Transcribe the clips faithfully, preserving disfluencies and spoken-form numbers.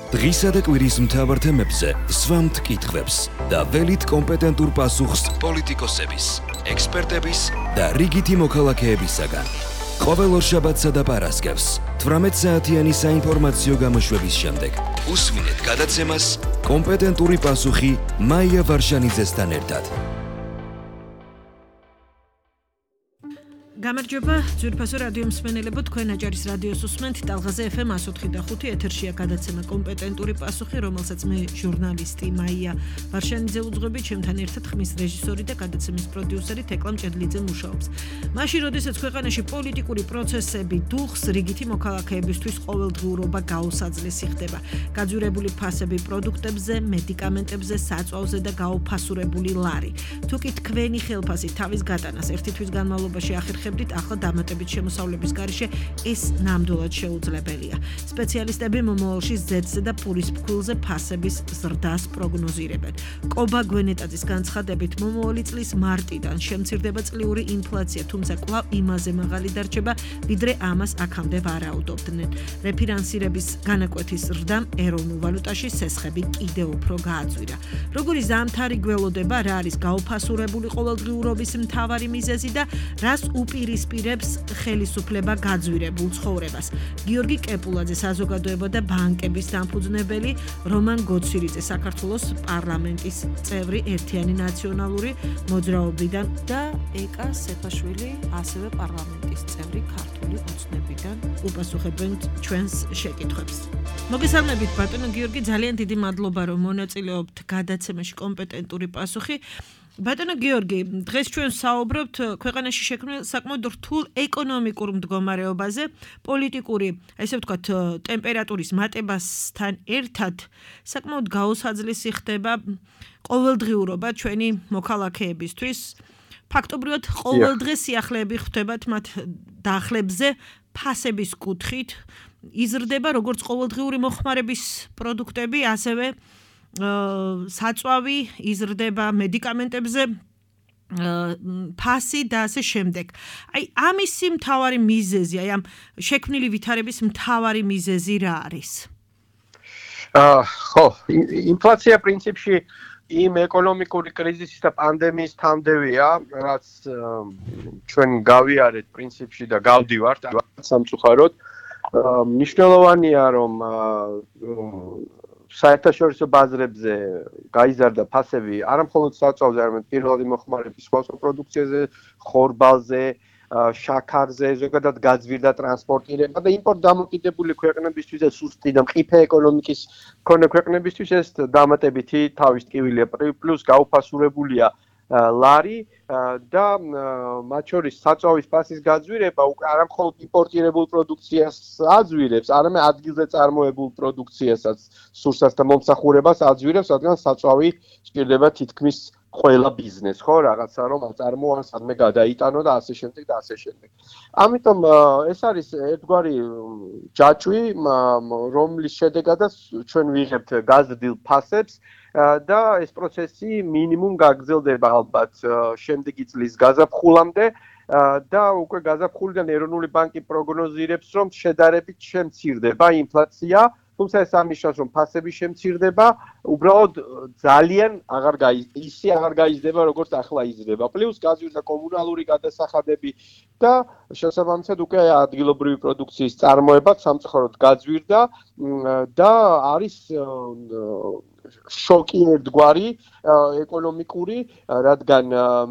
დღისა და კვირის მთავარ თემებზე სვამთ კითხვებს და ველით კომპეტენტურ პასუხს პოლიტიკოსების, ექსპერტების და რიგითი მოქალაქეებისაგან. ყოველ ორშაბათსა და პარასკევს თვრამეტ საათიანი საინფორმაციო გამოშვების შემდეგ უსვინეთ გადაცემას კომპეტენტური პასუხი მაია ვარშანიძესთან ერთად. გამარჯობა, ძვირფასო რადიო მსმენელებო, თქვენ აჭარის რადიოს უსმენთ ტალღაზე ეფ ემ εκατოთხი და ხუთი ეთერშია გადაცემა კომპეტენტური პასუხი, რომელსაც მე ჟურნალისტი მაია ვარშანიძე უძღვები, ჩემთან ერთად ხმის რეჟისორი და გადაცემის პროდიუსერი თეკლა მჭედლიძე მუშაობს. მაშინ, როდესაც ქვეყანაში პოლიტიკური პროცესები დუხს, რიგითი მოქალაქეებისთვის ყოველდღიურობა გაუსაძლესი ხდება. გაძვირებული ფასები პროდუქტებზე, მედიკამენტებზე, საწვავზე და გაუფასურებული ლარი. თუ კი თქვენი ხელფასი თავის გატანას ერთი თვის განმავლობაში ახერხებთ, ახლა დამატებით შემოსავლების გარეშე ეს ნამდვილად შეუძლებელია. სპეციალისტები მომავალში ზედზე და პურის ფქვილზე ფასების ზრდას პროგნოზირებენ. კობა გვენეტაძის განცხადებით, მომავალი წლის მარტიდან შემცირდება წლიური ინფლაცია, თუმცა კვლავ იმაზე მაღალი დარჩება, ვიდრე ამას აქამდე ვარაუდობდნენ. რეფინანსირების განაკვეთის ზრდამ ეროვნულ ვალუტაში სესხები კიდევ უფრო გააძვირა. როგორი ზამთარი გველოდება, რა არის გაუფასურებული ყოველდღიურობის მთავარი მიზეზი და რას უპირისპირებს ხელისუფლება გაძვირებულ ცხოვრებას. გიორგი კეპულაძე, საზოგადოება და ბანკების დამფუძნებელი, რომან გოცირიძე, საქართველოს პარლამენტის წევრი ერთიანი ნაციონალური მოძრაობიდან და ეკა სეფაშვილი, ასევე პარლამენტის წევრი ქართული ოცნებიდან უპასუხებენ ჩვენს შეკითხვებს. მოგესალმებით ბატონო გიორგი, ძალიან დიდი მადლობა რომ მონაწილეობთ გადაცემაში კომპეტენტური პასუხი. ბატონო გიორგი, დღეს ჩვენ საუბრობთ ქვეყანაში შექმნილ საკმაოდ რთულ ეკონომიკურ მდგომარეობაზე, პოლიტიკური, ესე ვთქვათ, ტემპერატურის მატებასთან ერთად საკმაოდ გაუსაძლისი ხდება ყოველდღიურობა ჩვენი მოქალაქეებისთვის. ფაქტობრივად ყოველდღე სიახლეები ხვდებათ მათ დახლებზე ფასების კუთხით, იზრდება როგორც ყოველდღიური მოხმარების პროდუქტები, ასევე საწვავი, იზრდება მედიკამენტებზე ფასი და ასე შემდეგ. აი ამისი მთავარი მიზეზი, აი ამ შექმნილი ვითარების მთავარი მიზეზი რა არის? აა ხო, ინფლაცია პრინციპში იმ ეკონომიკური კრიზისის და პანდემიის თანმდევია, რაც ჩვენ გავიარეთ პრინციპში და გავდივართ სამწუხაროდ. მნიშვნელოვანია რომ საერთაშორისო ბაზრებზე გაიზარდა ფასები არა მხოლოდ საწვავზე, არამედ პირველადი მოხმარების სხვა პროდუქციაზე, ხორბალზე, შაქარზე, ზოგადად გაძვირდა ტრანსპორტირება და იმპორტ დამოკიდებული ქვეყნებისთვის ეს სუსტი და მყიფე ეკონომიკის მქონე ქვეყნებისთვის ეს დამატებითი თავის ტკივილია, პლუს გაუფასურებულია ლარი და მათ შორის საწვავის ფასის გაძვირება არა მხოლოდ იმპორტირებულ პროდუქციას აძვირებს, არამედ ადგილზე წარმოებულ პროდუქციასაც, სურსას და მომსახურებას აძვირებს, რადგან საწვავი სჭირდება თითქმის ყველა ბიზნესს, ხო, რაღაცა რომ აწარმოა, სადმე გადაიტანო და ასე შემდეგ და ასე შემდეგ. ამიტომ ეს არის ერთგვარი ჯაჭვი, რომლის შედეგადაც ჩვენ ვიღებთ გაზრდილ ფასებს და ეს პროცესი მინიმუმ გაგრძელდება ალბათ შემდეგი წლის გაზაფხულამდე და უკვე გაზაფხულიდან ეროვნული ბანკი პროგნოზირებს, რომ შედარებით შემცირდება ინფლაცია, თუმცა ეს ამნიშნავს, რომ ფასები შემცირდება, უბრალოდ ძალიან აღარ ისე აღარ გაიზრდება, როგორც ახლა იზრდება. პლუს გაძვირდა კომუნალური გადასახადები და შესაბამისად უკვე ადგილობრივი პროდუქციის წარმოება სამწუხაროდ გაძვირდა და არის შოკი ერთგვარი ეკონომიკური, რადგან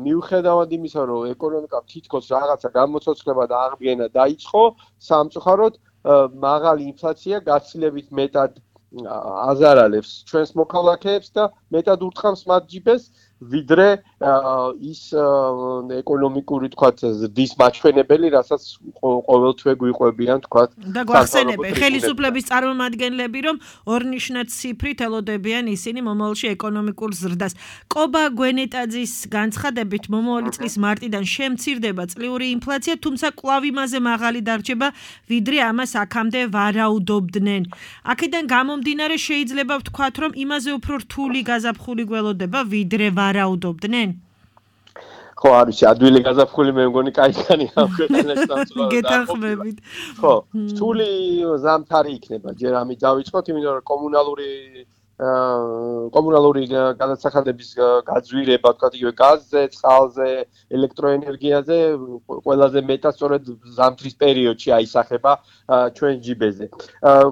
მიუხედავად იმისა, რომ ეკონომიკა თითქოს რაღაცა გამოცოცხლება და აღდგენა დაიწყო, სამწუხაროდ მაღალი ინფლაცია გაცილებით მეტად აზარალებს ჩვენს მოქალაქეებს და მეტად ურტყამს მათ ჯიბეს, ვიდრე ის ეკონომიკური, თქვათ, ზრდის მაჩვენებელი, რასაც ყოველთვე გვიყვებიან, თქვათ, და გვახსენებენ ხელისუფლების წარმომადგენლები, რომ ორნიშნად ციფრით ელოდებიან ისინი მომავალში ეკონომიკურ ზრდას. კობა გვენეტაძის განცხადებით, მომავალი წლის მარტიდან შემცირდება წლიური ინფლაცია, თუმცა კვლავ იმაზე მაღალი დარჩება, ვიდრე ამას აქამდე ვარაუდობდნენ. აქედან გამომდინარე შეიძლება ვთქვათ, რომ იმაზე უფრო რთული გაზაფხული გველოდება, ვიდრე ვარაუდობდნენ? ხო არის ადვილი გაზაფხული მე მგონი კაიგანი ამ ქვეყანაში სამწუხაროდ გეთანხმებით ხო სული ზამთარი იქნება ჯერ ამით დავიწყოთ იმიტომ რომ კომუნალური კომუნალური გადასახადების გაძვირება, თქვა იგივე გაზზე, წყალზე, ელექტროენერგიაზე ყველაზე მეტად სწორედ ზამთრის პერიოდში აისახება ჩვენ ჯიბეზე.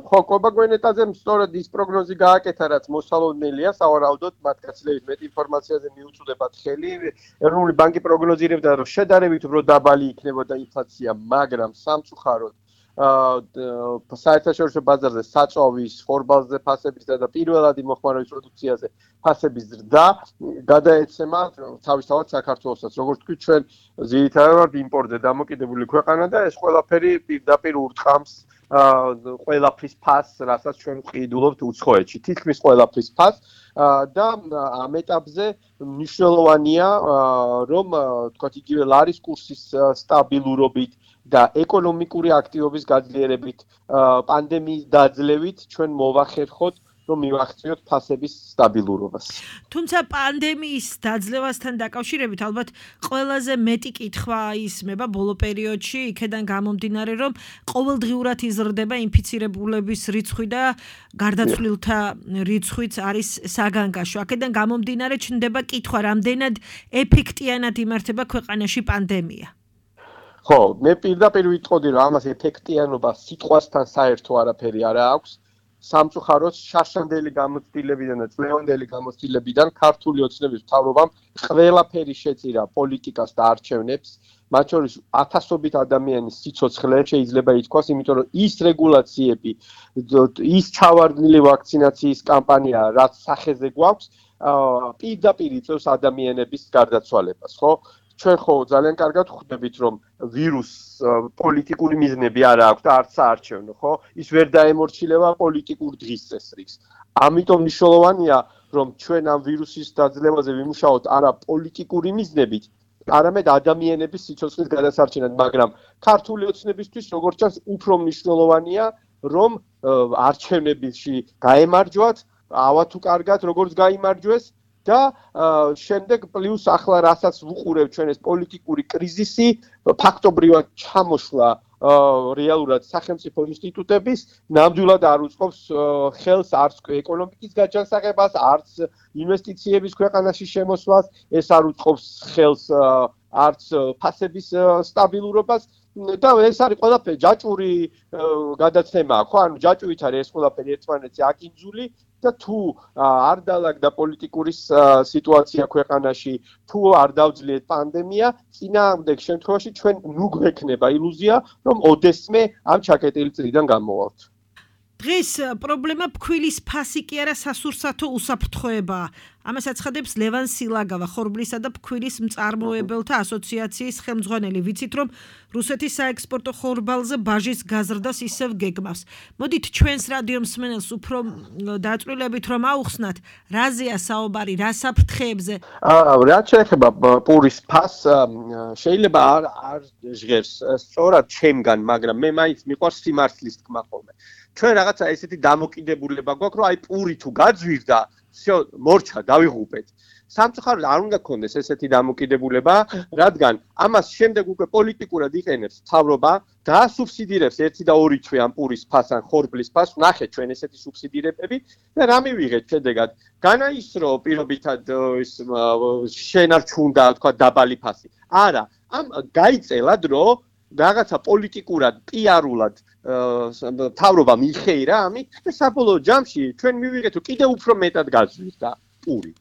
ხო, კობაგვენეტაზე სწორედ ის პროგნოზი გააკეთა, რაც მოსალოდნელია, სავარაუდოდ მათ გაცილებით მეტ ინფორმაციაზე მიუწვდებათ ხელი. ეროვნული ბანკი პროგნოზირებდა, რომ შედარებით უფრო დაბალი იქნებოდა ინფლაცია, მაგრამ სამწუხაროდ საერთაშორისო ბაზარზე საწოვის, ხორბალზე ფასების და პირველადი მოხმარების პროდუქციაზე ფასების ზრდა გადაეცემა თავისთავად საქართველოსაც. როგორც თქვით, ჩვენ ძირითადად ვართ იმპორტზე დამოკიდებული ქვეყანა და ეს ყველაფერი პირდაპირ ურტყამს ყველაფრის ფასს, რასაც ჩვენ ვყიდულობთ უცხოეთში. თითქმის ყველაფრის ფასს და ამ ეტაპზე მნიშვნელოვანია, რომ თქვა იგივე ლარის კურსის სტაბილურობით და ეკონომიკური აქტივობის გაძლიერებით, პანდემიის დაძლევით ჩვენ მოვახერხოთ, რომ მივახციოთ ფასების სტაბილურობას. თუმცა პანდემიის დაძლევასთან დაკავშირებით ალბათ ყველაზე მეტი კითხვა ისმება ბოლო პერიოდში, იქედან გამომდინარე, რომ ყოველდღიურად იზრდება ინფიცირებულების რიცხვი და გარდაცვლილთა რიცხვიც არის საგანგაშო. აქედან გამომდინარე ჩნდება კითხვა, რამდენად ეფექტიანად იმართება ქვეყანაში პანდემია. ხო, მე პირდაპირ ვიტყოდი, რომ ამას ეფექტიანობა სიტყვასთან საერთო არაფერი არ აქვს. სამწუხაროდ შარშანდელი გამოცდილებიდან და წლევანდელი გამოცდილებიდან ქართული ოცნების მთავრობამ ყველაფერი შეწირა პოლიტიკას და არჩევნებს, მათ შორის ათასობით ადამიანის სიცოცხლე შეიძლება ითქვას, იმიტომ რომ ის რეგულაციები, ის ჩავარდნილი ვაქცინაციის კამპანია, რაც სახეზე გვაქვს, პირდაპირ იწევს ადამიანების გარდაცვალებას, ხო? ჩვენ ხო ძალიან კარგად ხვდებით, რომ ვირუსს პოლიტიკური მიზნები არ აქვს და არც საარჩევნო, ხო? ის ვერ დაემორჩილება პოლიტიკურ დღის წესრიგს. ამიტომ მნიშვნელოვანია, რომ ჩვენ ამ ვირუსის დაძლევაზე ვიმუშაოთ არა პოლიტიკური მიზნებით, არამედ ადამიანების სიცოცხლის გადასარჩენად, მაგრამ ქართული ოცნებისთვის, როგორც ჩანს, უფრო მნიშვნელოვანია, რომ არჩევნებში გაემარჯვათ, ავა თუ კარგად, როგორც გაიმარჯვეს და შემდეგ პლუს ახლა რასაც ვუყურებ ჩვენ ეს პოლიტიკური კრიზისი ფაქტობრივად ჩამოშლა რეალურად სახელმწიფო ინსტიტუტების ნამდვილად არ უწყობს ხელს არც ეკონომიკის გაჯანსაღებას, არც ინვესტიციების ქვეყანაში შემოსვლას, ეს არ უწყობს ხელს არც ფასების სტაბილურობას და ეს არის ყველაფერი ჯაჭვური გადაცემაა, ხო? ანუ ჯაჭვით არის ეს ყველაფერი ერთმანეთზე აკინძული და თუ არ დაალაგდა პოლიტიკური სიტუაცია ქვეყანაში, თუ არ დავძლიეთ პანდემია, წინააღმდეგ შემთხვევაში ჩვენ ნუ გვექნება ილუზია, რომ ოდესმე ამ ჩაკეტილი წრიდან გამოვალთ. დღეს პრობლემა ფქვილის ფასი კი არა სასურსათო უსაფრთხოებაა. ამას აცხადებს ლევან სილაგავა, ხორბლისა და ფქვილის მწარმოებელთა ასოციაციის ხელმძღვანელი. ვიცით, რომ რუსეთის საექსპორტო ხორბალზე ბაჟის გაზრდას ისევ გეგმავს. მოდით ჩვენს რადიო მსმენელს უფრო დაწვრილებით რომ აუხსნათ, რაზეა საუბარი, რა საფრთხეებზე? რაც შეეხება პურის ფასს, შეიძლება არ არ ჟღერს სწორად ჩემგან, მაგრამ მე მაინც მიყვარს სიმართლის თქმა ხოლმე. ჩვენ რაღაცა ესეთი დამოკიდებულება გვაქვს, რომ აი პური თუ გაძვირდა, всё, მორჩა, დავიღუპეთ. სამწუხაროდ არ უნდა გქონდეს ესეთი დამოკიდებულება, რადგან ამას შემდეგ უკვე პოლიტიკურად იყენებს მთავრობა და სუბსიდირებს ერთი და ორი თვე ამ პურის ფასს ან ხორბლის ფასს, ნახეთ ჩვენ ესეთი სუბსიდირებები და რა მივიღეთ შედეგად? განაისრო პირობითად ის შენარჩუნდა, თქვა დაბალი ფასი. არა, ამ გაიწელა დრო რაღაცა პოლიტიკურად, პიარულად მთავრობა მიიხეირა ამით და საბოლოო ჯამში ჩვენ მივიღეთ, რომ კიდევ უფრო მეტად გაძვირდა პური.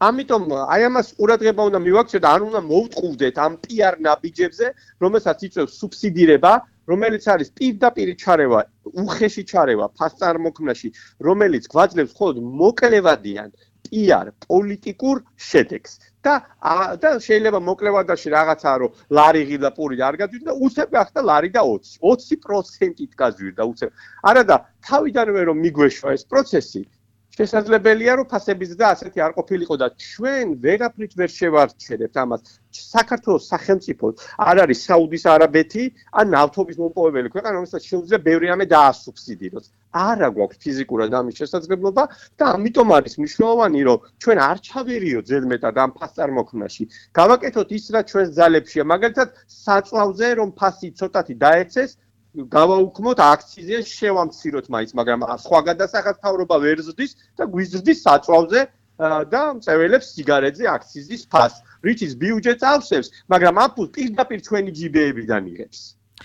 ამიტომ აი ამას ყურადღება უნდა მივაქციოთ, არ უნდა მოვტყუვდეთ ამ პიარ ნაბიჯებზე, რომელსაც იწვევს სუბსიდირება, რომელიც არის პირდაპირ ჩარევა, უხეში ჩარევა ფასწარმოქმნაში, რომელიც გვაძლევს მხოლოდ მოკლევადიან პიარ პოლიტიკურ შედეგს. და და შეიძლება მოკლევადაში რაღაცა რომ ლარი ღირდა პური და არ გაძვირდა, უცებ გახდა ლარი და ოცი. ოცი პროცენტით გაძვირდა უცებ. არა და თავიდანვე რომ მიგვეშვა ეს პროცესი, შესაძლებელია რომ ფასების და ასეთი არ ყოფილიყო და ჩვენ ვერაფრით ვერ შევარჩერებთ ამას. საქართველოს სახელმწიფო არ არის საუდის არაბეთი ან ნავთობის მომპოვებელი ქვეყანა, რომელსაც შეუძლია ბევრი რამე დაასუბსიდიროს. არა გვაქვს ფიზიკურად ამის შესაძლებლობა და ამიტომ არის მნიშვნელოვანი, რომ ჩვენ არ ჩავერიოთ ზედმეტად ამ ფასწარმოქმნაში. გავაკეთოთ ის, რაც ჩვენს ძალებშია, მაგალითად, საწვავზე რომ ფასი ცოტათი დაეცეს, გავაუქმოთ აქციზე, შევამციროთ მაინც, მაგრამ სხვა გადასახადს მთავრობა ვერ ზრდის და გვიზრდის საწვავზე და მწეველებს სიგარეტზე აქციზის ფასს, რითიც ბიუჯეტს ავსებს, მაგრამ ამ ფულს პირდაპირ ჩვენი ჯიბეებიდან იღებს.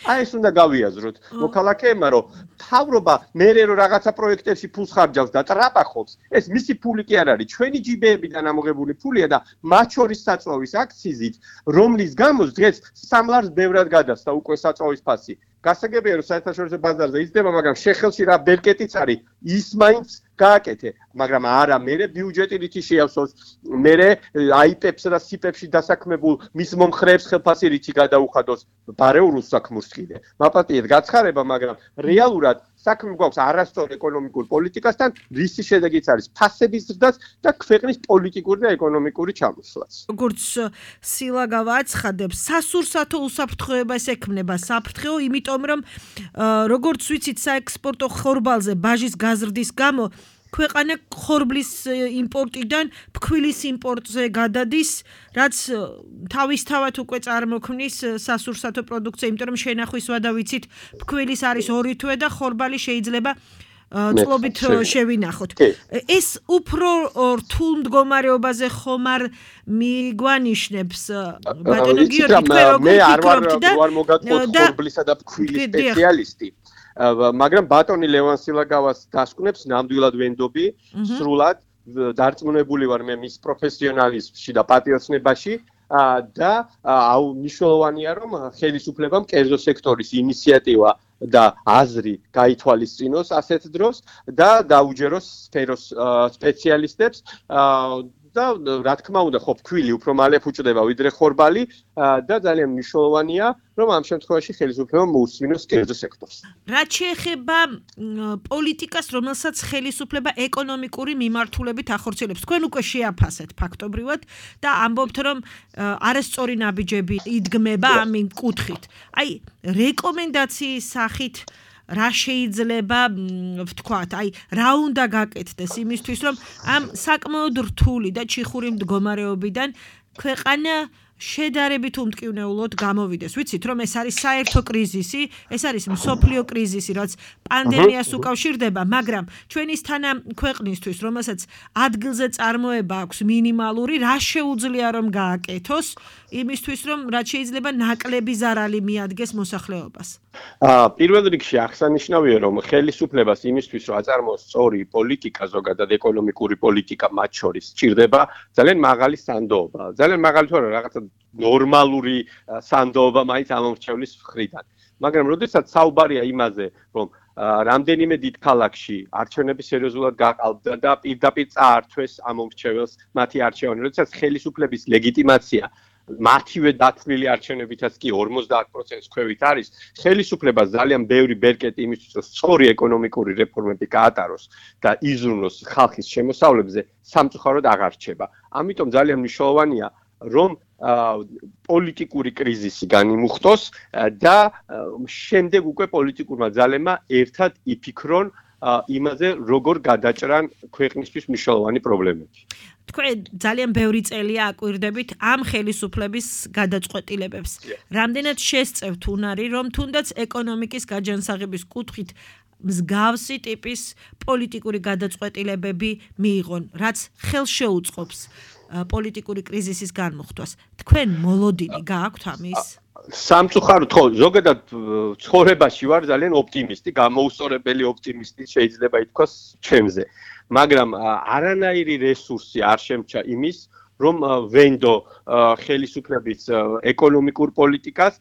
აი ეს უნდა გავიაზროთ მოქალაქეებმა, რომ მთავრობა მერე რომ რაღაცა პროექტებში ფულს ხარჯავს და ტრაპახობს, ეს მისი ფული კი არ არის, ჩვენი ჯიბეებიდან ამოღებული ფულია და მათ შორის საწვავის აქციზით, რომლის გამოც დღეს სამ ლარს ბევრად გადასცა უკვე საწვავის ფასი. გასაგებია რომ საერთაშორისო ბაზარზე იზრდება, მაგრამ შეხელში რა ბერკეტიც არის, ის მაინც გააკეთე, მაგრამ არა, მერე ბიუჯეტი რითი შეავსოს, მერე აიპებს და სიპებში დასაქმებულ მის მომხრეებს ხელფასი რითი გადაუხადოს ბარეულ უსაქმურს კიდე. მაპატიეთ გაცხარება, მაგრამ რეალურად საქმე გვაქვს არასწორ ეკონომიკურ პოლიტიკასთან, რისი შედეგიც არის ფასების ზრდაც და ქვეყნის პოლიტიკური და ეკონომიკური ჩამოსვლაც. როგორც სილა გავაცხადებს, სასურსათო უსაფრთხოებას ექმნება საფრთხო, იმიტომ რომ როგორც ვიცით, საექსპორტო ხორბალზე ბაჟის გაზრდის გამო ქვეყანა ხორბლის იმპორტიდან ფქვილის იმპორტზე გადადის, რაც თავისთავად უკვე წარმოქმნის სასურსათო პროდუქცია, იმიტომ რომ შენახვის ვადა ვიცით, ფქვილის არის ორი თვე და ხორბალი შეიძლება წლობით შევინახოთ. ეს უფრო რთულ მდგომარეობაზე ხომ არ მიგვანიშნებს ბატონო გიორგი, თქვენ როგორ მე არ ვარ მოგატყუოთ ხორბლისა და ფქვილის სპეციალისტი. მაგრამ ბატონი ლევან სილაგავას დასკვნებს ნამდვილად ვენდობი, სრულად დარწმუნებული ვარ მე მის პროფესიონალიზმში და პატიოსნებაში და მნიშვნელოვანია რომ ხელისუფლებამ კერძო სექტორის ინიციატივა და აზრი გაითვალისწინოს ასეთ დროს და დაუჯეროს სფეროს სპეციალისტებს და რა თქმა უნდა ხო ფქვილი უფრო მალე ფუჭდება ვიდრე ხორბალი და ძალიან მნიშვნელოვანია რომ ამ შემთხვევაში ხელისუფლებამ მოусვინოს კერძო სექტორს. რაც შეეხება პოლიტიკას, რომელსაც ხელისუფლება ეკონომიკური მიმართულებით ახორციელებს, თქვენ უკვე შეაფასეთ ფაქტობრივად და ამბობთ რომ არასწორი ნაბიჯები იდგმება ამ კუთხით. აი რეკომენდაციის სახით რა შეიძლება ვთქვათ, აი რა უნდა გაკეთდეს იმისთვის, რომ ამ საკმაოდ რთული და ჩიხური მდგომარეობიდან ქვეყანა შედარებით უმტკივნეულოდ გამოვიდეს. ვიცით, რომ ეს არის საერთო კრიზისი, ეს არის მსოფლიო კრიზისი, რაც პანდემიას უკავშირდება, მაგრამ ჩვენის თანა ქვეყნისთვის, რომელსაც ადგილზე წარმოება აქვს მინიმალური, რა შეუძლია რომ გააკეთოს, იმისთვის, რომ რაც შეიძლება ნაკლები ზარალი მიადგეს მოსახლეობას. აა პირველ რიგში აღსანიშნავია, რომ ხელისუფლებას იმისთვის, რომ აწარმოოს სწორი პოლიტიკა, ზოგადად ეკონომიკური პოლიტიკა მათ შორის სჭირდება ძალიან მაღალი სანდოობა. ძალიან მაღალი თუ არა, რაღაცა ნორმალური სანდოობა მაინც ამომრჩევლის მხრიდან. მაგრამ როდესაც საუბარია იმაზე, რომ რამდენიმე დიდ ქალაქში არჩევნები სერიოზულად გაყალბდა და პირდაპირ წაართვეს ამომრჩეველს მათი არჩევანი, როდესაც ხელისუფლების ლეგიტიმაცია მათივე დათვლილი არჩევნებითაც კი ორმოცდაათ პროცენტს ქვევით არის, ხელისუფლებას ძალიან ბევრი ბერკეტი იმისთვის, რომ სწორი ეკონომიკური რეფორმები გაატაროს და იზრუნოს ხალხის შემოსავლებზე, სამწუხაროდ აღარ რჩება. ამიტომ ძალიან მნიშვნელოვანია, რომ პოლიტიკური კრიზისი განიმუხტოს და შემდეგ უკვე პოლიტიკურმა ძალებმა ერთად იფიქრონ იმაზე, როგორ გადაჭრან ქვეყნისთვის მნიშვნელოვანი პრობლემები. თქვენ ძალიან ბევრი წელია აკვირდებით ამ ხელისუფლების გადაწყვეტილებებს. რამდენად შესწევთ უნარი, რომ თუნდაც ეკონომიკის გაჯანსაღების კუთხით მსგავსი ტიპის პოლიტიკური გადაწყვეტილებები მიიღონ, რაც ხელშეუწყობს პოლიტიკური კრიზისის განმუხტვას. თქვენ მოლოდინი გააქვთ ამის? სამწუხაროდ ხო, ზოგადად ცხოვრებაში ვარ ძალიან ოპტიმისტი, გამოუსწორებელი ოპტიმისტი შეიძლება ითქვას ჩემზე. მაგრამ არანაირი რესურსი არ შემჩა იმის, რომ ვენდო ხელისუფლების ეკონომიკურ პოლიტიკას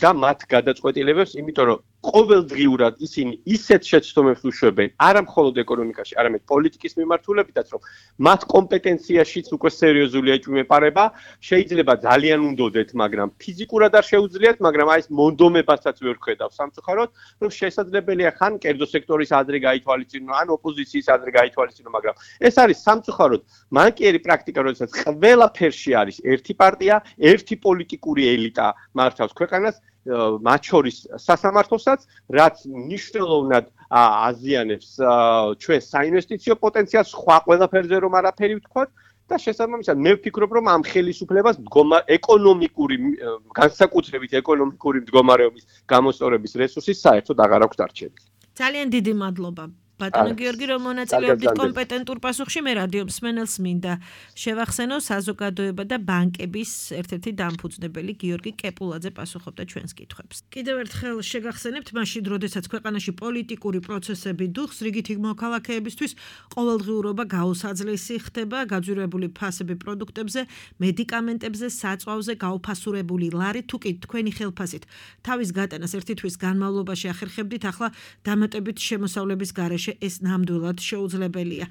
და მათ გადაწყვეტილებებს, იმიტომ რომ ყოველდღიურად ისინი ისეთ შეცდომებს უშვებენ, არა მხოლოდ ეკონომიკაში, არამედ პოლიტიკის მიმართულებითაც, რომ მათ კომპეტენციაშიც უკვე სერიოზული ეჭვმეპარება, შეიძლება ძალიან უნდოდეთ, მაგრამ ფიზიკურად არ შეუძლიათ, მაგრამ აი ეს მონდომებასაც ვერ ხედავ სამწუხაროდ, რომ შესაძლებელია ხან კერძო სექტორის აზრი გაითვალისწინო, ან ოპოზიციის აზრი გაითვალისწინო, მაგრამ ეს არის სამწუხაროდ მანკიერი პრაქტიკა, როდესაც ყველაფერში არის ერთი პარტია, ერთი პოლიტიკური ელიტა მართავს ქვეყანას მათ შორის სასამართლოსაც, რაც მნიშვნელოვნად აზიანებს ჩვენ საინვესტიციო პოტენციალს, სხვა ყველაფერზე რომ არაფერი ვთქვათ და შესაბამისად მე ვფიქრობ, რომ ამ ხელისუფლებას ეკონომიკური, განსაკუთრებით ეკონომიკური მდგომარეობის გამოსწორების რესურსი საერთოდ აღარ აქვს დარჩენილი. ძალიან დიდი მადლობა. ბატონო გიორგი, რომ მონაწილეობდით კომპეტენტურ პასუხში, მე რადიო მსმენელს მინდა შევახსენო საზოგადოება და ბანკების ერთ-ერთი დამფუძნებელი გიორგი კეპულაძე პასუხობდა ჩვენს კითხვებს. კიდევ ერთხელ შეგახსენებთ, მაშინ, როდესაც ქვეყანაში პოლიტიკური პროცესები დუხს, რიგითი მოქალაქეებისთვის ყოველდღიურობა გაუსაძლისი ხდება, გაძვირებული ფასები პროდუქტებზე, მედიკამენტებზე, საწვავზე, გაუფასურებული ლარი, თუ კი თქვენი ხელფასით თავის გატანას ერთი თვის განმავლობაში ახერხებდით, ახლა დამატებით შემოსავლების გარეშე ეს ნამდვილად შეუძლებელია.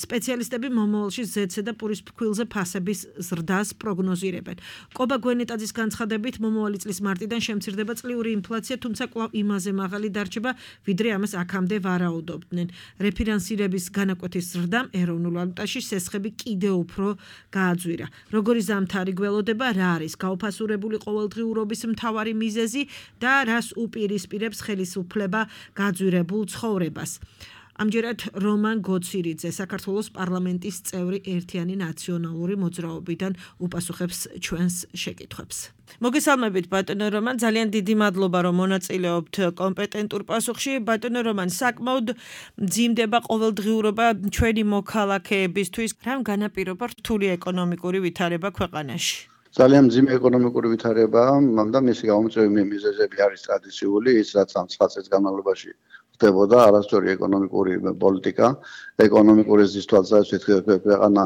სპეციალისტები მომავალში ზედზე და პურის ფქვილზე ფასების ზრდას პროგნოზირებენ. კობა გვენეტაძის განცხადებით, მომავალი წლის მარტიდან შემცირდება წლიური ინფლაცია, თუმცა კვლავ იმაზე მაღალი დარჩება, ვიდრე ამას აქამდე ვარაუდობდნენ. რეფინანსირების განაკვეთის ზრდამ ეროვნულ ვალუტაში სესხები კიდევ უფრო გააძვირა. როგორი ზამთარი გველოდება, რა არის გაუფასურებული ყოველდღიურობის მთავარი მიზეზი და რას უპირისპირებს ხელისუფლება გაძვირებულ ცხოვრებას. ამჯერად რომან გოცირიძე, საქართველოს პარლამენტის წევრი ერთიანი ნაციონალური მოძრაობიდან უპასუხებს ჩვენს შეკითხვებს. მოგესალმებით ბატონო რომან, ძალიან დიდი მადლობა რომ მონაწილეობთ კომპეტენტურ პასუხში. ბატონო რომან, საკმაოდ მძიმდება ყოველდღიურობა ჩვენი მოქალაქეებისთვის. რამ განაპირობა რთული ეკონომიკური ვითარება ქვეყანაში? ძალიან მძიმე ეკონომიკური ვითარებაა და მისი გამომწვევი მიზეზები არის ტრადიციული, ის რაც ამ ცხრა წელს განმავლობაში ხდებოდა არასწორი ეკონომიკური პოლიტიკა, ეკონომიკური ზრდის თვალსაზრისით ქვეყანა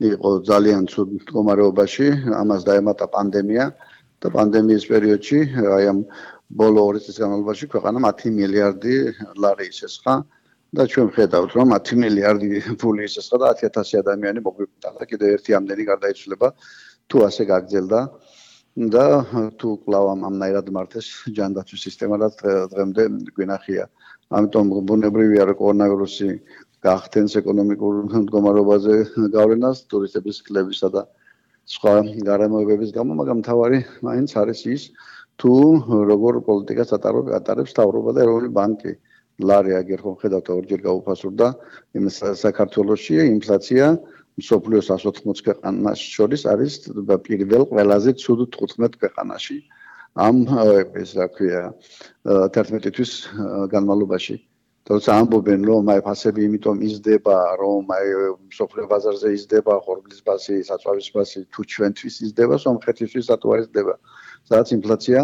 იყო ძალიან ცუდ მდგომარეობაში, ამას დაემატა პანდემია და პანდემიის პერიოდში, აი ამ ბოლო ორი წლის განმავლობაში ქვეყანა ათი მილიარდი ლარი ისესხა და ჩვენ ვხედავთ, რომ ათი მილიარდი ფული ისესხა და ათი ათასი ადამიანი მოგვიყვანდა და კიდევ ერთი ამდენი გარდაიცვლება თუ ასე გაგრძელდა და თუ კვლავ ამნაირად მართეს ჯანდაცვის სისტემა, რაც დღემდე გვინახია. ამიტომ ბუნებრივია რომ კორონავირუსი გაახდენს ეკონომიკურ მდგომარეობაზე გავლენას, ტურისტების კლებისა და სხვა გარემოებების გამო, მაგრამ მთავარი მაინც არის ის, თუ როგორ პოლიტიკას ატარებს მთავრობა და ეროვნული ბანკი. ლარი აგერ ხომ ხედავთ ორჯერ გაუფასურდა, იმ საქართველოში ინფლაცია მსოფლიოს ას ოთხმოცი ქვეყანას შორის არის პირველ ყველაზე ცუდ თხუთმეტ ქვეყანაში. ამ ეს რა ქვია თერთმეტი თვის განმავლობაში. თორსა ამბობენ რომ აი ფასები იმიტომ იზრდება, რომ აი მსოფლიო ბაზარზე იზრდება, ხორბლის ფასი, საწვავის ფასი, თუ ჩვენთვის იზრდება, სომხეთისთვის რატო არ იზრდება? სადაც ინფლაცია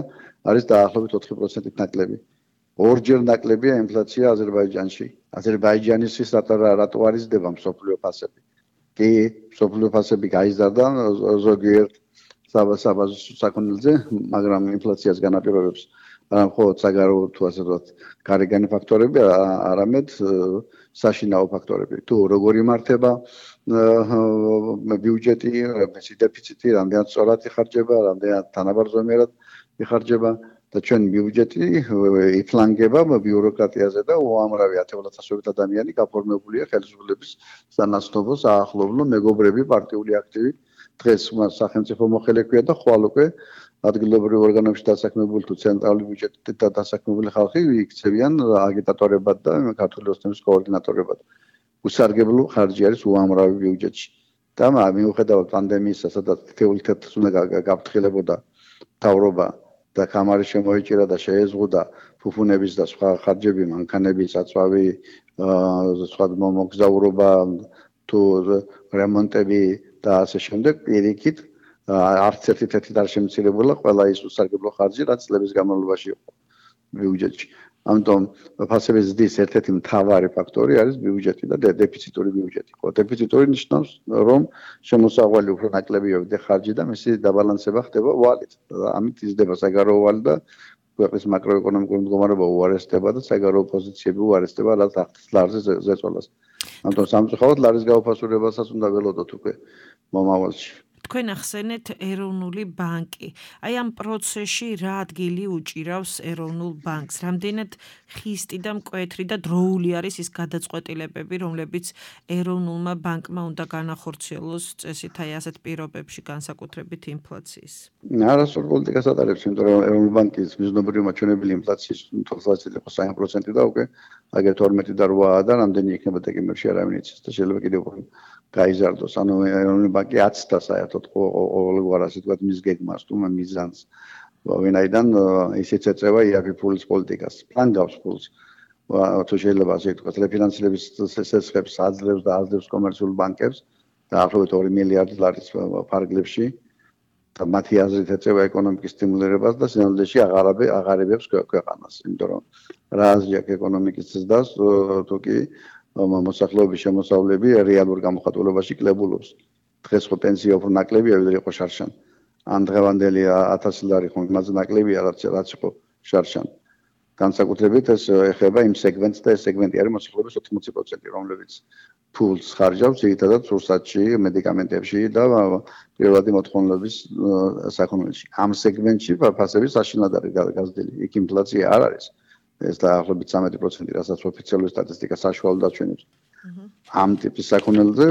არის დაახლოებით ოთხი პროცენტით ნაკლები. ორჯერ ნაკლებია ინფლაცია აზერბაიჯანში. აზერბაიჯანისთვის რატო რატო არ იზრდება მსოფლიო ფასები? კი, მსოფლიო ფასები გაიზარდა ზოგიერთ საბაზო საქონელზე, მაგრამ ინფლაციას განაპირობებს არა მხოლოდ საგარეო თუ ასე ვთქვათ, გარეგანი ფაქტორები, არამედ საშინაო ფაქტორები. თუ როგორ იმართება ბიუჯეტი, მისი დეფიციტი, რამდენად სწორად იხარჯება, რამდენად თანაბარზომიერად იხარჯება და ჩვენ ბიუჯეტი იფლანგება ბიუროკრატიაზე და უამრავი ათეულათასობით ადამიანი გაფორმებულია ხელისუფლების სანაცნობო საახლობლო მეგობრები, პარტიული აქტივი დღეს მას სახელმწიფო მოხელე ქვია და ხვალ უკვე ადგილობრივ ორგანოებში დასაქმებული თუ ცენტრალური ბიუჯეტით დასაქმებული ხალხი იქცევიან აგიტატორებად და ქართული ოცნების კოორდინატორებად. უსარგებლო ხარჯი არის უამრავი ბიუჯეტში. და მიუხედავად პანდემიისა, სადაც თითოეული თეთრს უნდა გაფრთხილებოდა მთავრობა და კამარი შემოიჭირა და შეეზღუდა ფუფუნების და სხვა ხარჯები, მანქანები, საწვავი, სხვა მოგზაურობა თუ რემონტები და ასე შემდეგ, პირიქით არც ერთი თეთრით არ შემცირებულა ყველა ის უსარგებლო ხარჯი, რაც წლების განმავლობაში იყო ბიუჯეტში. ამიტომ ფასების ზრდის ერთ-ერთი მთავარი ფაქტორი არის ბიუჯეტი და დეფიციტური ბიუჯეტი. დეფიციტური ნიშნავს, რომ შემოსავალი უფრო ნაკლებია ხარჯი და მისი დაბალანსება ხდება ვალით. ამით იზრდება საგარეო ვალი და ქვეყნის მაკროეკონომიკური მდგომარეობა უარესდება და საგარეო პოზიციები უარესდება, რაც ახდენს ლარზე ზეწოლას. ამიტომ სამწუხაროდ ლარის გაუფასურებასაც უნდა ველოდოთ უკვე მომავალში. თქვენ ახსენეთ ეროვნული ბანკი. აი ამ პროცესში რა ადგილი უჭირავს ეროვნულ ბანკს? რამდენად ხისტი და მკვეთრი და დროული არის ის გადაწყვეტილებები, რომლებიც ეროვნულმა ბანკმა უნდა განახორციელოს წესით აი ასეთ პირობებში, განსაკუთრებით ინფლაციის? არასწორ პოლიტიკას ატარებს, იმიტომ რომ ეროვნული ბანკის მიზნობრივი მაჩვენებელი ინფლაციის თვალსაზრისით იყო სამი პროცენტი და უკვე აგერ თორმეტი და რვა და რამდენი იქნება დეკემბერში არავინ იცის და შეიძლება კიდევ უფრო გაიზარდოს. ანუ ეროვნული ბანკი აცდა საერთოდ ყოველგვარ ასე ვთქვათ მის გეგმას თუ მიზანს. ვინაიდან ისიც ეწევა იაფი ფულის პოლიტიკას. პლან გავს ფულს. თუ შეიძლება ასე ვთქვათ, რეფინანსირების სესხებს აძლევს და აძლევს კომერციულ ბანკებს დაახლოებით ორი მილიარდი ლარის ფარგლებში. და მათი აზრით ეწევა ეკონომიკის სტიმულირებას და სინამდვილეში აღარაბე აღარებებს ქვეყანას. იმიტომ რომ რა აზრი აქვს ეკონომიკის ზრდას, თუ კი მოსახლეობის შემოსავლები რეალურ გამოხატულებაში კლებულობს. დღეს ხო პენსია უფრო ნაკლებია, ვიდრე იყო შარშან. ან დღევანდელი ათასი ლარი ხო იმაზე ნაკლებია, რაც რაც იყო შარშან. განსაკუთრებით ეს ეხება იმ სეგმენტს და ეს სეგმენტი არის მოსახლეობის ოთხმოცი პროცენტი, რომლებიც ფულს ხარჯავს ძირითადად სურსათში, მედიკამენტებში და პირველადი მოთხოვნილების საქონელში. ამ სეგმენტში ფასები საშინლად არის გაზრდილი. იქ ინფლაცია არ არის. ეს დაახლოებით სამეტი პროცენტი, რასაც ოფიციალური სტატისტიკა საშუალოდ აჩვენებს. ამ ტიპის საქონელზე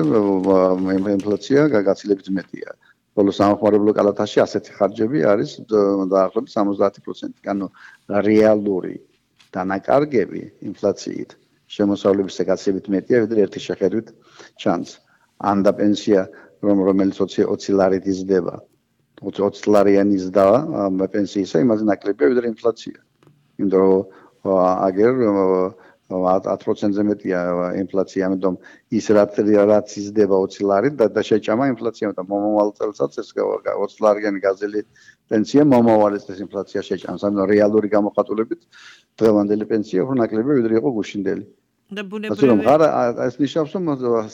ინფლაცია გაცილებით მეტია. ხოლო სამხმარებლო კალათაში ასეთი ხარჯები არის დაახლოებით სამოცდაათი პროცენტი. ანუ რეალური დანაკარგები ინფლაციით შემოსავლების გაცილებით მეტია, ვიდრე ერთი შეხედვით ჩანს. ან და პენსია, რომელიც ოცი ლარით იზრდება, ოცი ლარიანი იზრდება პენსიისა, იმაზე ნაკლებია, ვიდრე ინფლაცია. იმიტომ რომ აგერ ათი პროცენტზე მეტია ინფლაცია, ამიტომ ის რაც რაც იზრდება ოცი ლარით და შეჭამა ინფლაცია და მომავალ წელსაც ეს ოცი ლარიანი გაზელი პენსია მომავალ წელს ინფლაცია შეჭამს. ანუ რეალური გამოხატულებით დღევანდელი პენსია უფრო ნაკლებია, ვიდრე იყო გუშინდელი. და ბუნებრივი ეს ნიშნავს, რომ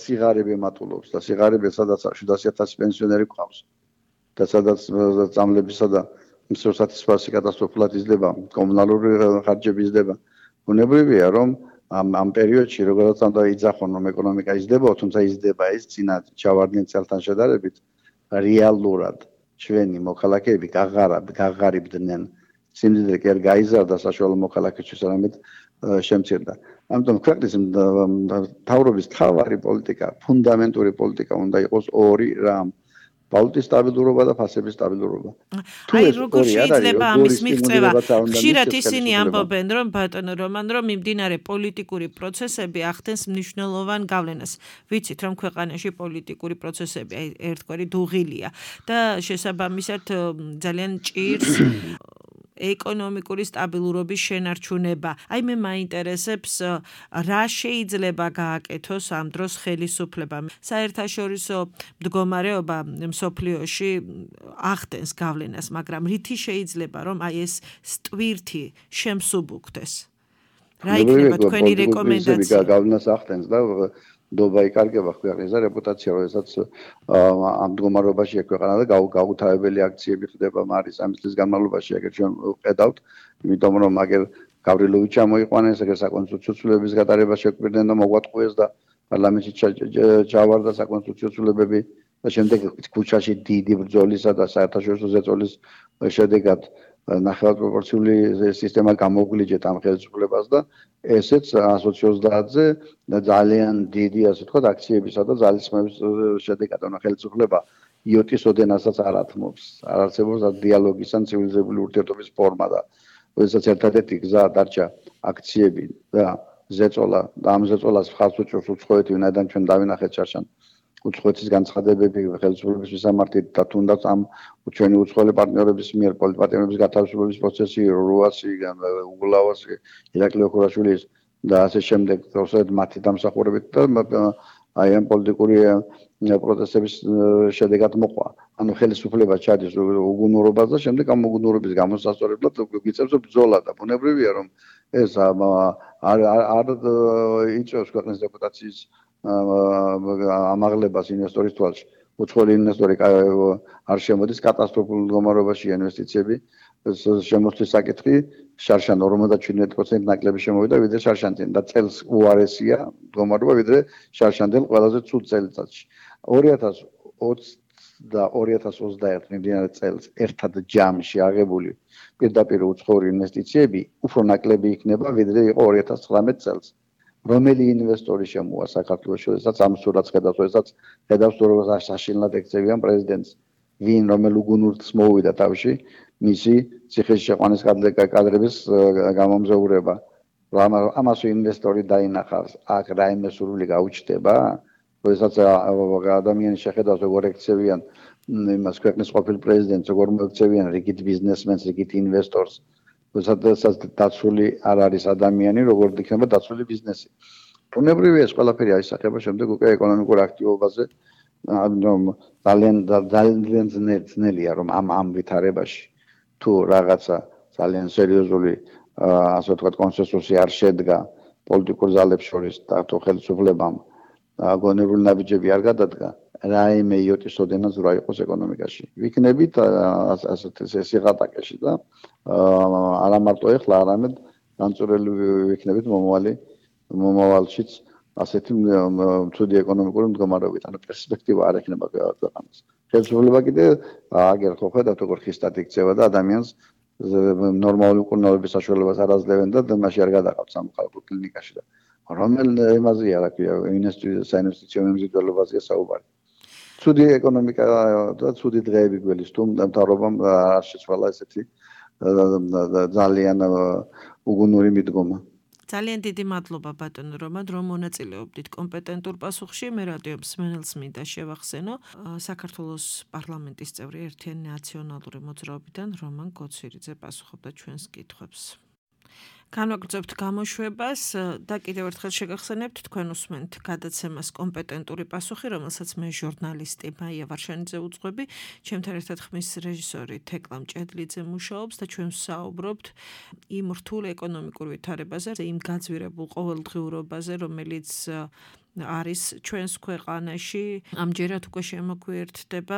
სიღარიბე მატულობს და სიღარიბე სადაც შვიდასი ათასი პენსიონერი გვყავს. და სადაც წამლებისა და მსურსათისფასი კატასტროფულად იზრდება, კომუნალური ხარჯები იზრდება. ბუნებრივია, რომ ამ ამ პერიოდში როგორც უნდა იძახონ, რომ ეკონომიკა იზრდება, თუმცა იზრდება ის წინა ჩავარდნილ წელთან შედარებით რეალურად ჩვენი მოქალაქეები გაღარიბდნენ. სიმდიდრე კი არ გაიზარდა საშუალო მოქალაქეთვის, არამედ შემცირდა. ამიტომ ქვეყნის მთავრობის მთავარი პოლიტიკა, ფუნდამენტური პოლიტიკა უნდა იყოს ორი რამ. ვალუტის სტაბილურობა და ფასების სტაბილურობა. აი როგორ შეიძლება ამის მიღწევა? ხშირად ისინი ამბობენ, რომ ბატონო რომან, რომ მიმდინარე პოლიტიკური პროცესები ახდენს მნიშვნელოვან გავლენას. ვიცით, რომ ქვეყანაში პოლიტიკური პროცესები აი ერთგვარი დუღილია და შესაბამისად ძალიან ჭირს ეკონომიკური სტაბილურობის შენარჩუნება. აი მე მაინტერესებს რა შეიძლება გააკეთოს ამ დროს ხელისუფლებამ. საერთაშორისო მდგომარეობა მსოფლიოში ახდენს გავლენას, მაგრამ რითი შეიძლება რომ აი ეს სტვირთი შემსუბუქდეს? რა იქნება თქვენი რეკომენდაცია? გავლენას ახდენს და დობა იკარგება ქვეყნის რეპუტაცია, როდესაც ამ მდგომარეობაში ექვეყანა და გაუთავებელი აქციები ხდება მარის სამი წლის განმავლობაში, ეგრეთ ჩვენ ვხედავთ, იმიტომ რომ აგერ გავრილოვიჩი ჩამოიყვანეს, ეგრე საკონსტიტუციო ცვლილებების გატარება შეგვირდნენ და მოგვატყუეს და პარლამენტში ჩავარდა საკონსტიტუციო ცვლილებები და შემდეგ ქუჩაში დიდი ბრძოლისა და საერთაშორისო ზეწოლის შედეგად ნახევარ პროპორციული სისტემა გამოგვლიჯეთ ამ ხელისუფლებას და ესეც ათი ოცდაათზე ძალიან დიდი ასე ვთქვათ აქციებისა და ძალისხმების შედეგად ანუ ხელისუფლება იოტის ოდენასაც არ ათმობს, არ არსებობს დიალოგის ან ცივილიზებული ურთიერთობის ფორმა და როდესაც ერთადერთი გზა დარჩა აქციები და ზეწოლა და ამ ზეწოლას ხალხს უჭერს უცხოეთი, ვინაიდან ჩვენ დავინახეთ შარშან უცხოეთის განცხადებები ხელისუფლების მისამართით და თუნდაც ამ ჩვენი უცხოელი პარტნიორების მიერ პოლიტპატიმრების გათავისუფლების პროცესი რუასი, უგულავასი, ირაკლი ოქროაშვილის და ასე შემდეგ თორსად მათი დამსახურებით და აი ამ პოლიტიკური პროცესების შედეგად მოყვა. ანუ ხელისუფლება ჩადის უგუნურობას და შემდეგ ამ უგუნურობის გამოსასწორებლად გვიწევს ბრძოლა და ბუნებრივია რომ ეს არ არ იწევს ქვეყნის რეპუტაციის ამაღლებას ინვესტორის თვალში. უცხოელი ინვესტორი არ შემოდის კატასტროფულ მდგომარეობაში ინვესტიციები შემოსვლის საკითხი შარშან ორმოცდაშვიდმეტი პროცენტი ნაკლები შემოვიდა ვიდრე შარშანთან და წელს უარესია მდგომარეობა ვიდრე შარშანთან ყველაზე ცუდ წელიწადში. ორი ათას ოცი და ორი ათას ოცდაერთი მიმდინარე წელს ერთად ჯამში აღებული პირდაპირ უცხოური ინვესტიციები უფრო ნაკლები იქნება, ვიდრე იყო ორი ათას ცხრამეტ წელს. რომელი ინვესტორი შემოვა საქართველოში, როდესაც ამ სურათს ხედავს, როდესაც ხედავს თუ როგორ საშინლად ექცევიან პრეზიდენტს, ვინ რომელ უგუნურთს მოუვიდა თავში, მისი ციხესშეყვანის კადრების გამომზეურება. ამას ინვესტორი დაინახავს, აქ რაიმე სურვილი გაუჩნდება, როდესაც ადამიანი შეხედავს როგორ ექცევიან იმას ქვეყნის ყოფილ პრეზიდენტს, როგორ მოექცევიან რიგით ბიზნესმენს, რიგით ინვესტორს, როდესაც დაცული არ არის ადამიანი, როგორ იქნება დაცული ბიზნესი. ბუნებრივია ეს ყველაფერი აისახება შემდეგ უკვე ეკონომიკურ აქტივობაზე, ძალიან ძალიან ძნელია რომ ამ ამ ვითარებაში თუ რაღაცა ძალიან სერიოზული ასე ვთქვათ კონსენსუსი არ შედგა პოლიტიკურ ძალებს შორის და თუ ხელისუფლებამ გონებული ნაბიჯები არ გადადგა, რაიმე იოტის ოდენაც რა იყოს ეკონომიკაში. ვიქნებით ასეთ სიღატაკეში და არა მარტო ეხლა, არამედ განწურელი ვიქნებით მომავალი მომავალშიც ასეთი ცუდი ეკონომიკური მდგომარეობით, ანუ პერსპექტივა არ ექნება ქვეყანას. ხელისუფლება კიდე აგერ ხო ხედავთ როგორ ხისტად იქცევა და ადამიანს ნორმალური მკურნალობის საშუალებას არ აძლევენ და მასში არ გადაყავთ სამოქალაქო კლინიკაში და რომელ იმაზეა რა ქვია საინვესტიციო მიმზიდველობაზე საუბარი. ცუდი ეკონომიკა და ცუდი დღეები გველის თუ მთავრობამ არ შეცვალა ესეთი ძალიან უგუნური მიდგომა. ძალიან დიდი მადლობა ბატონო რომან, რომ მონაწილეობდით კომპეტენტურ პასუხში. მე რადიო მსმენელს მინდა შევახსენო საქართველოს პარლამენტის წევრი ერთიანი ნაციონალური მოძრაობიდან რომან გოცვირიძე პასუხობდა ჩვენს კითხვებს. განვაგრძობთ გამოშვებას და კიდევ ერთხელ შეგახსენებთ თქვენ უსმენთ გადაცემას კომპეტენტური პასუხი, რომელსაც მე ჟურნალისტი მაია ვარშანიძე უძღვები, ჩემთან ერთად ხმის რეჟისორი თეკლა მჭედლიძე მუშაობს და ჩვენ ვსაუბრობთ იმ რთულ ეკონომიკურ ვითარებაზე, იმ გაძვირებულ ყოველდღიურობაზე, რომელიც არის ჩვენს ქვეყანაში. ამჯერად უკვე შემოგვიერთდება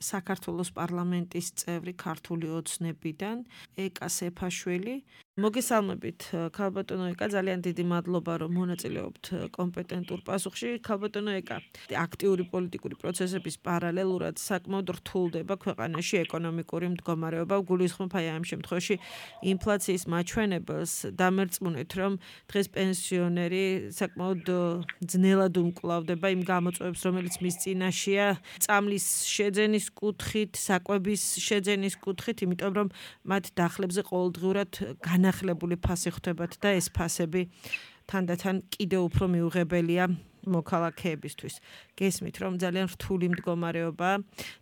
საქართველოს პარლამენტის წევრი ქართული ოცნებიდან ეკა სეფაშვილი. მოგესალმებით ქალბატონო ეკა, ძალიან დიდი მადლობა რომ მონაწილეობთ კომპეტენტურ პასუხში. ქალბატონო ეკა, აქტიური პოლიტიკური პროცესების პარალელურად საკმაოდ რთულდება ქვეყანაში ეკონომიკური მდგომარეობა. გულისხმობ აი ამ შემთხვევაში ინფლაციის მაჩვენებელს. დამერწმუნეთ რომ დღეს პენსიონერი საკმაოდ ძნელად უმკლავდება იმ გამოწვევებს, რომელიც მის წინაშეა, წამლის შეძენის კუთხით, საკვების შეძენის კუთხით, იმიტომ რომ მათ დახლებზე ყოველდღიურად განახლებული ფასი ხვდებათ და ეს ფასები თანდათან კიდევ უფრო მიუღებელია მოქალაქეებისთვის. გესმით რომ ძალიან რთული მდგომარეობაა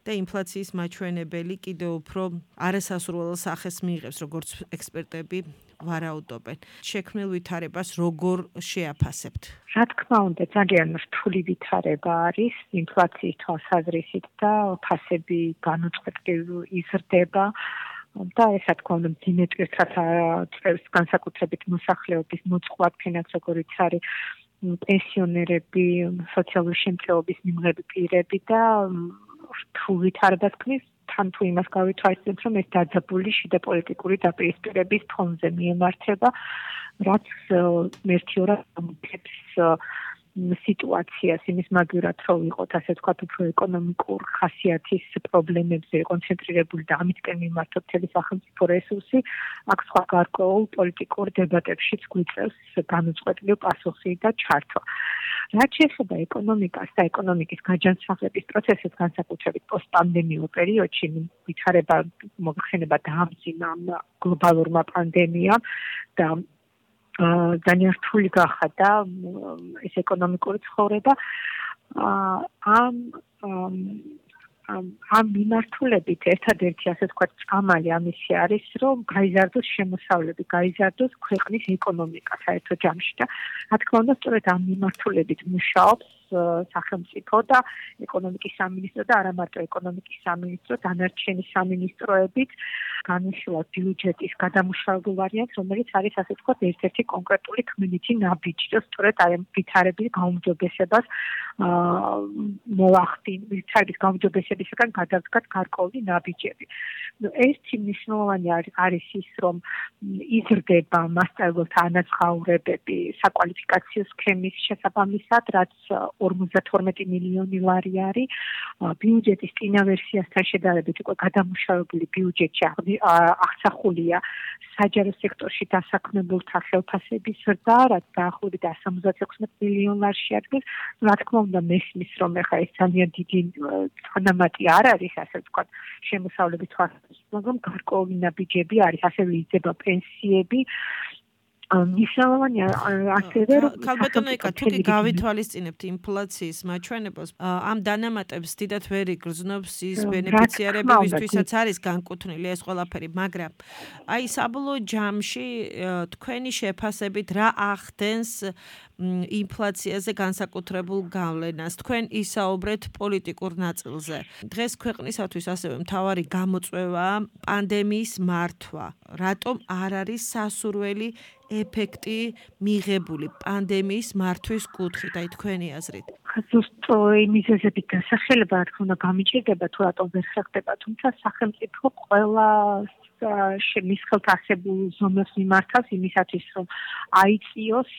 და ინფლაციის მაჩვენებელი კიდევ უფრო არასასურველო სახეს მიიღებს, როგორც ექსპერტები ვარაუდობენ. შექმნილ ვითარებას როგორ შეაფასებთ? რა თქმა უნდა, ძალიან რთული ვითარება არის ინფლაციის თვალსაზრისით და ფასები განუწყვეტლივ იზრდება. და ეს რა თქმა უნდა მძიმე ტვირთსაც აწევს განსაკუთრებით მოსახლეობის მოწყვლადქენაც როგორიც არის პენსიონერები, სოციალური შემწეობის მიმღები პირები და რთულ ვითარებას ქმნის თან თუ იმას გავითვალისწინებთ რომ ეს დაძაბული შიდა პოლიტიკური დაპირისპირების ფონზე მიემართება, რაც მერტიორად ამოწევს სიტუაციას იმის მაგივრად რომ ვიყოთ ასე ვთქვათ უფრო ეკონომიკურ ხასიათის პრობლემებზე კონცენტრირებული და ამიტკენ მიმართოთ მთელი სახელმწიფო რესურსი, აქ სხვა გარკვეულ პოლიტიკურ დებატებშიც გვიწევს განუწყვეტლივ პასუხი და ჩართვა. რაც შეეხება ეკონომიკას და ეკონომიკის გაჯანსაღლების პროცესებს, განსაკუთრებით პოსტპანდემიურ პერიოდში, ვითარება მოხდება დაამძიმა გლობალურმა პანდემიამ და ძალიან რთული გახადა ეს ეკონომიკური ცხოვრება. ამ ამ მიმართულებით ერთადერთი ასე ვთქვათ წამალი ამისი არის, რომ გაიზარდოს შემოსავლები, გაიზარდოს ქვეყნის ეკონომიკა საერთო ჯამში და რა თქმა უნდა სწორედ ამ მიმართულებით მუშაობს სახელმწიფო და ეკონომიკის სამინისტრო და არა მარტო ეკონომიკის სამინისტრო, დანარჩენი სამინისტროებით განვიხილავ ბიუჯეტის გადამუშავებულ ვარიანტს, რომელიც არის ასე ვთქვათ ერთ-ერთი კონკრეტული ქმნითი ნაბიჯი და სწორედ აი ამ ვითარების გაუმჯობესებას მოახდინ, ვითარების გაუმჯობესებისგან გადავდგათ გარკვეული ნაბიჯები. ერთი მნიშვნელოვანი არის ის, რომ იზრდება მასწავლებლთა ანაზღაურებები საკვალიფიკაციო სქემის შესაბამისად, რაც ორმოცდათორმეტი მილიონი ლარი არის. ბიუჯეტის წინა ვერსიასთან შედარებით უკვე გადამუშავებული ბიუჯეტში აღსახულია საჯარო სექტორში დასაქმებულთა ხელფასების ზრდა, რაც დაახლოებით one hundred seventy-six მილიონ ლარში ადგილს. რა თქმა უნდა, მესმის, რომ ეხლა ეს ძალიან დიდი თანამატი არ არის, ასე ვთქვათ, შემოსავლების თვალსაზრისით, მაგრამ გარკვეული ნაბიჯები არის, ასევე იზრდება პენსიები. მნიშვნელოვანია ასევე რომ ქალბატონო ეკა თუ კი გავითვალისწინებთ ინფლაციის მაჩვენებელს ამ დანამატებს დიდად ვერ იგრძნობს ის ბენეფიციარები ვისთვისაც არის განკუთვნილი ეს ყველაფერი მაგრამ აი საბოლოო ჯამში თქვენი შეფასებით რა ახდენს ინფლაციაზე განსაკუთრებულ გავლენას თქვენ ისაუბრეთ პოლიტიკურ ნაწილზე დღეს ქვეყნისათვის ასევე მთავარი გამოწვევაა პანდემიის მართვა რატომ არ არის სასურველი ეფექტი მიღებული პანდემიის მართვის კუთხით, აი თქვენი აზრით. ზუსტ იმისებით დასახელება რა თქმა უნდა გამიჭირდება თუ რატომ ვერ ხერხდება, თუმცა სახელმწიფო ყველა მის ხელთ არსებულ ზომებს მიმართავს იმისათვის, რომ აიწიოს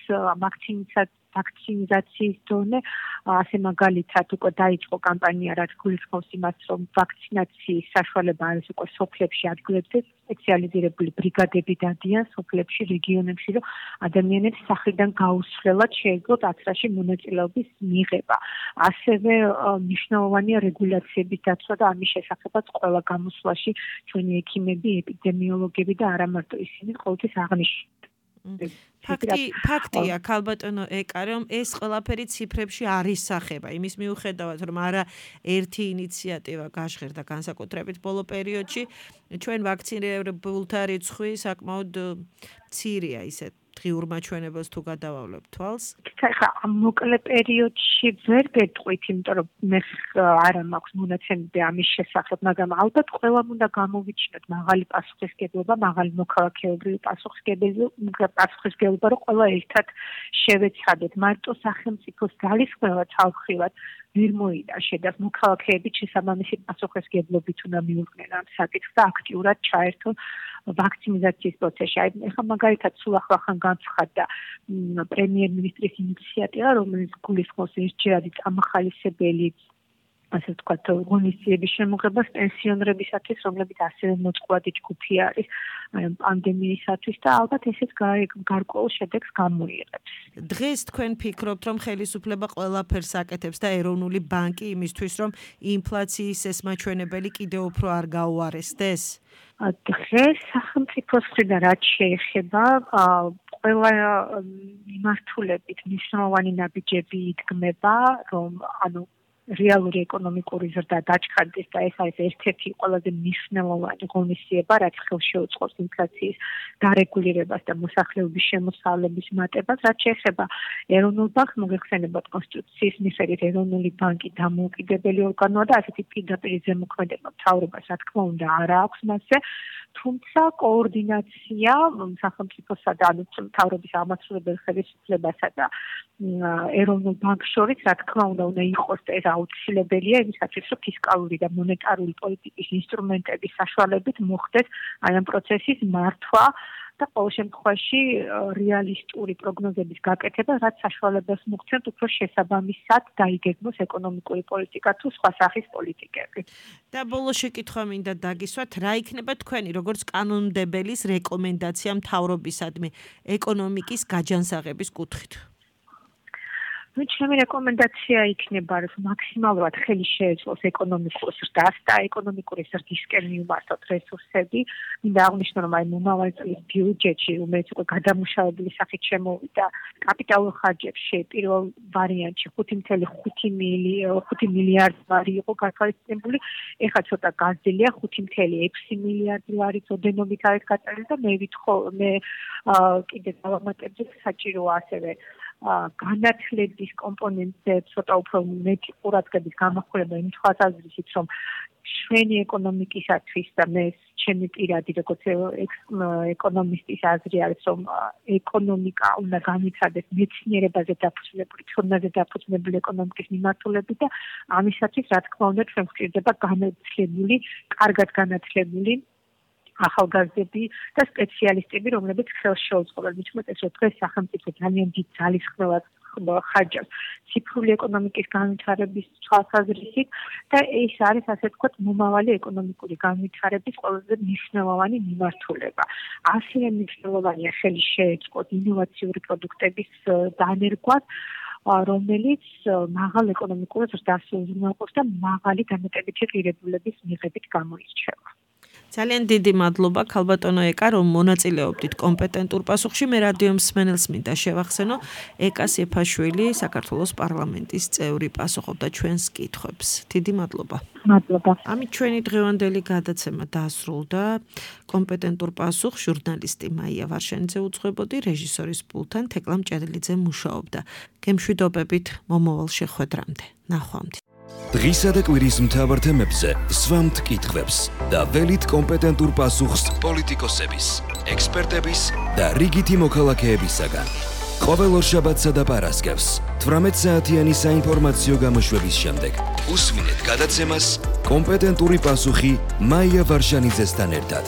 ვაქცინიზაციის დონე, ასე მაგალითად უკვე დაიწყო კამპანია, რაც გულისხმობს იმას, რომ ვაქცინაციის საშუალება არის უკვე სოფლებში ადგილებზე სპეციალიზირებული ბრიგადები დადიან სოფლებში, რეგიონებში, რომ ადამიანებს სახლიდან გაუსვლელად შეეძლოთ აცრაში მონაწილეობის მიღება. ასევე მნიშვნელოვანია რეგულაციების დაცვა და ამის შესახებაც ყველა გამოსვლაში ჩვენი ექიმები, ეპიდემიოლოგები და არა მარტო ისინი ყოველთვის აღნიშნავენ. ფაქტი ფაქტია ქალბატონო ეკა რომ ეს ყველაფერი ციფრებში არ ისახება იმის მიუხედავად რომ არა ერთი ინიციატივა გაშღერდა განსაკუთრებით ბოლო პერიოდში ჩვენ ვაქცინირებულთა რიცხვი საკმაოდ მცირეა ისე დღიურ მაჩვენებელს თუ გადავავლებთ თვალს ხა ამ მოკლე პერიოდში ვერ გეტყვით იმიტომ რომ მე არა მაქვს მონაცემები ამის შესახებ მაგრამ ალბათ ყველამ უნდა გამოვიჩინოთ მაღალი პასუხისმგებლობა მაღალი მოქალაქეობრივი პასუხისმგებლობა პასუხისმგებლობა რომ ყველა ერთად შევეცხადოთ მარტო სახელმწიფოს ძალისხმევა თავხრივად ვერ მოიდაშე და მოქალაქეები შესაბამისი პასუხისმგებლობით უნდა მიუღნენ ამ საკითხს და აქტიურად ჩაერთონ ვაქცინიზაციის პროცესში. აი ეხლა მაგალითად სულ ახლახან განცხადდა პრემიერ-მინისტრის ინიციატივა, რომელიც გულისხმობს ერთჯერადი წამახალისებელი ასე ვთქვათ, ღონისძიების შემოღებას პენსიონერებისათვის, რომლებიც ასევე მოწყვლადი ჯგუფი არის პანდემიისათვის და ალბათ ესეც გარკვეულ შედეგს გამოიღებს. დღეს თქვენ ფიქრობთ, რომ ხელისუფლება ყველაფერს აკეთებს და ეროვნული ბანკი იმისთვის, რომ ინფლაციის ეს მაჩვენებელი კიდევ უფრო არ გაუარესდეს? დღეს სახელმწიფოს მხრიდან რაც შეეხება ყველა მიმართულებით მნიშვნელოვანი ნაბიჯები იდგმება, რომ ანუ რეალური ეკონომიკური ზრდა დაჩქარდეს და ეს არის ერთ-ერთი ყველაზე მნიშვნელოვანი ღონისძიება, რაც ხელს შეუწყობს ინფლაციის დარეგულირებას და მოსახლეობის შემოსავლების მატებას, რაც შეეხება ეროვნულ ბანკს, მოგეხსენებათ კონსტიტუციის მიხედვით ეროვნული ბანკი დამოუკიდებელი ორგანოა და ასეთი პირდაპირ ზემოქმედება მთავრობას, რა თქმა უნდა, არ აქვს მასზე, თუმცა კოორდინაცია სახელმწიფოსა და მთავრობის აღმასრულებელ ხელისუფლებასა და ეროვნულ ბანკს შორის, რა თქმა უნდა, უნდა იყოს ეს აუცილებელია იმისათვის, რომ ფისკალური და მონეტარული პოლიტიკის ინსტრუმენტების საშუალებით მოხდეს აი ამ პროცესის მართვა და ყოველ შემთხვევაში რეალისტური პროგნოზების გაკეთება, რაც საშუალებას მოგვცემთ უფრო შესაბამისად დაიგეგმოს ეკონომიკური პოლიტიკა თუ სხვა სახის პოლიტიკები. და ბოლო შეკითხვა მინდა დაგისვათ, რა იქნება თქვენი როგორც კანონმდებელის რეკომენდაცია მთავრობისადმი ეკონომიკის გაჯანსაღების კუთხით? ну ჩემი რეკომენდაცია იქნება რომ მაქსიმალურად ხელი შეეძლოს ეკონომიკურ ზრდას და ეკონომიკური ზრდისკენ მიმართოთ რესურსები. მინდა აღნიშნო რომ აი მომავალი წლის ბიუჯეტში რომელიც უკვე გადამუშავებული სახით შემოვიდა კაპიტალურ ხარჯებში პირველ ვარიანტში ხუთი წუთი ხუთი მილიარდი ლარი იყო გათვალისწინებული. ეხლა ცოტა გაზრდილია ხუთი წუთი ექვსი მილიარდი ლარი წოდენობით არის გაწერილი და მე ვითხოვ მე კიდე დავამატებდი საჭიროა ასევე განათლების კომპონენტზე ცოტა უფრო მეტი ყურადღების გამახვილება იმ თვალსაზრისით, რომ ჩვენი ეკონომიკისათვის და მე ჩემი პირადი როგორც ეკონომისტის აზრი არის, რომ ეკონომიკა უნდა განიცადეს მეცნიერებაზე დაფუძნებული, ცოდნაზე დაფუძნებული ეკონომიკის მიმართულებით და ამისათვის, რა თქმა უნდა, ჩვენ გვჭირდება განათლებული, კარგად განათლებული ახალგაზრდები და სპეციალისტები, რომლებიც ხელს შეუწყობენ. მithumetes რომ დღეს სახელმწიფო ძალიან დიდ ძალისხმევას ხარჯებს ციფრული ეკონომიკის განვითარების თვალსაზრისით და ეს არის ასე ვთქვათ მომავალი ეკონომიკური განვითარების ყველაზე მნიშვნელოვანი მიმართულება. ასევე მნიშვნელოვანია ხელი შეეწყოთ ინოვაციური პროდუქტების დანერგვას, რომელიც მაღალ ეკონომიკურ ზრდას უზრუნველყოფს და მაღალი დამატებითი ღირებულების მიღებით გამოირჩევა. ძალიან დიდი მადლობა ქალბატონო ეკა, რომ მონაწილეობდით კომპეტენტურ პასუხში. მე რადიო მსმენელს მინდა შევახსენო, ეკა სეფაშვილი საქართველოს პარლამენტის წევრი პასუხობდა ჩვენს კითხვებს. დიდი მადლობა. მადლობა. ამით ჩვენი დღევანდელი გადაცემა დასრულდა. კომპეტენტურ პასუხს ჟურნალისტი მაია ვარშანიძე უძღვებოდი, რეჟისორის პულთან თეკლა მჭედლიძე მუშაობდა. გემშვიდობებით მომავალ შეხვედრამდე. ნახვამდის. დღისა და კვირის მთავარ თემებზე სვამთ კითხვებს და ველით კომპეტენტურ პასუხს პოლიტიკოსების, ექსპერტების და რიგითი მოქალაქეებისაგან. ყოველ ორშაბათსა და პარასკევს თვრამეტ საათიანი საინფორმაციო გამოშვების შემდეგ უსმინეთ გადაცემას კომპეტენტური პასუხი მაია ვარშანიძესთან ერთად.